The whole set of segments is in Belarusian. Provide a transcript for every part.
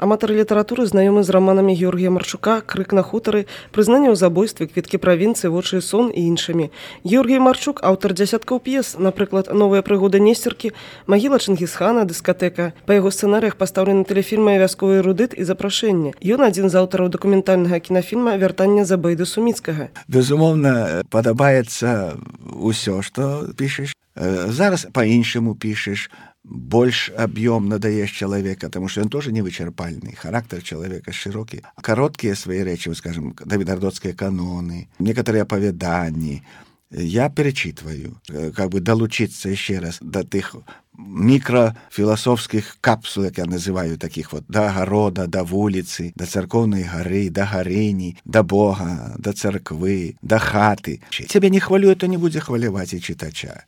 Аматары літаратуры знаёмы з раманамі Георгія Марчука «Крык на хутары», «Прызнанне ў забойстве», «Квіткі правінцыі», «Вочы і сон» і іншымі. Георгій Марчук – аўтар дзясяткаў п'ес, напрыклад, «Новыя прыгоды Несцеркі», «Магіла Чынгісхана», «Дыскатэка». Па яго сцэнарыях пастаўлены тэлефільмы «Вясковы эрудыт» і «Запрашэнне». Ён адзін з аўтараў дакументальнага кінафільма «Вяртанне Забейды Суміцкага». Безумоўна, падабаецца ўсё, што пішаш. Зараз па-іншаму пішаш, больш аб'ёмна даеш чалавека, тому што ён тоже невычарпальны, характар чалавека шырокі. Кароткія свае рэчы, скажем, давідардоцкія каноны, некаторыя апавяданні. Я перечитываю, как бы долучиться еще раз до тых микрофилософских капсул, как я называю, таких вот, до огорода, до вулицы, до церковной горы, до горыни, до Бога, до церквы, до хаты. Тебя не хвалю, то не будзе хваляваць і читача.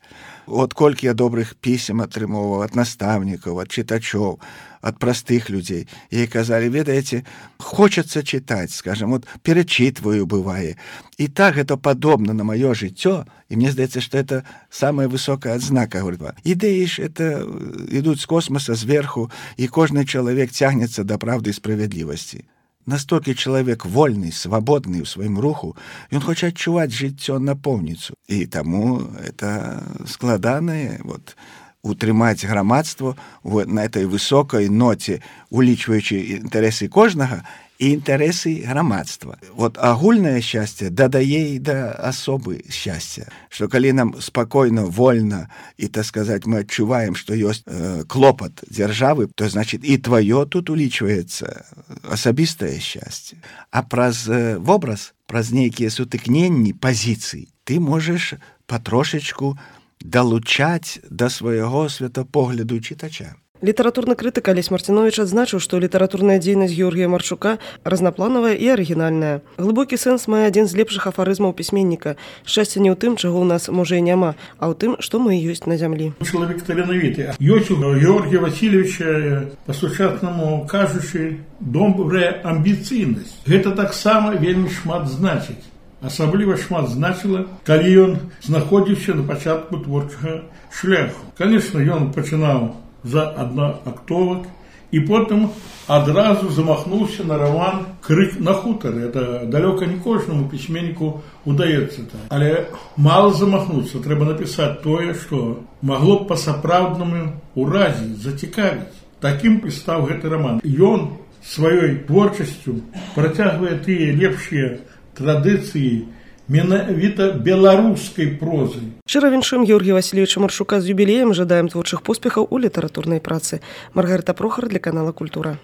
От колькі я добрых пісем атрымоўваў ад настаўнікаў, ад чытачоў, ад простых людзей. І казалі, ведаеце, хочацца чытаць, скажем, вот перечитываю, бывае. І так гэта падобна на маё жыццё, і мне здаецца, што это самая высокая адзнака. Ідэі ж это ідуць з космоса, зверху, і кожны чалавек цягнецца да правды і справядлівасці. Настолькі чалавек вольны, свабодны ў сваім руху, ён хоча адчуваць жыццё напоўніцу. І таму это складанае, утрымаць грамадство на этой высокай ноце, улічваючы інтарэсы кожнага і інтарэсы грамадства. Агульнае шчасце дадае і да асобы шчасця, што калі нам спакойна, вольна і, так сказаць, мы адчуваем, што ёсць клопат дзяржавы, то, значит, і тваё тут улічваецца асабістае шчасце. А праз вобраз, праз нейкія сутыкненні пазіцый ты можаш патрошачку далучаць да свайго светапогляду чытача. Літаратурны крытык Алесь Марціновіч адзначыў, што літаратурная дзейнасць Георгія Марчука разнапланавая і арыгінальная. Глыбокі сэнс мае адзін з лепшых афарызмаў пісьменніка. Шчасце не ў тым, чаго ў нас, можа, і няма, а ў тым, што мы ёсць на зямлі. Чалавек таленавіты. Ёсць у Георгія Васильевича, па-сучаснаму кажучы, добрая амбіцыйнасць. Гэта таксама вельмі шмат значыць. Асабліва шмат значыла, калі ён знаходзіўся на пачатку творчага шляху. Канешне, ён пачынаў за аднаактовак і потым адразу замахнуўся на роман «Крык на хутары». Это далёка не кожнаму пісьменніку удаецца так. Але мала замахнуцца, трэба напісаць тое, што магло б па-сапраўднаму ўразіць, зацікавіць. Такім і стаў гэты роман. Ён сваёй творчасцю працягвае тыя лепшыя традыцыі менавіта беларускай прозы. Шчыра віншуем Георгія Васильевича Марчука з юбілеем, жадаем творчых поспехаў у літаратурнай працы. Маргарыта Прохар для канала «Культура».